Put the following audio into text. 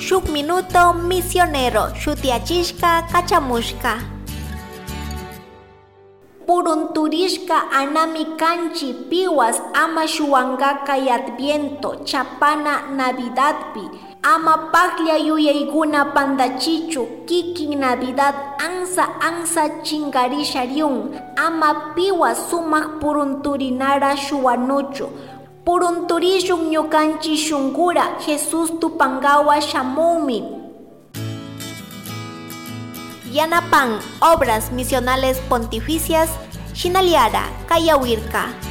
Shuk Minuto Misionero shutiyachishka kachamushka. Purunturishka anami kanchi piwas ama shuwankaka Adviento chapana Navidadpi, ama paglla yuyaykuna pandachichu kikin Navidad ansa ansa chingarishariun, ama piwas sumak purunturinara shuwanuchu. Purunturishun ñukanchi shunkura Jesus tupangawa shamumi. Yanapan Obras Misionales Pontificias, Shinaliara, Kayawirka.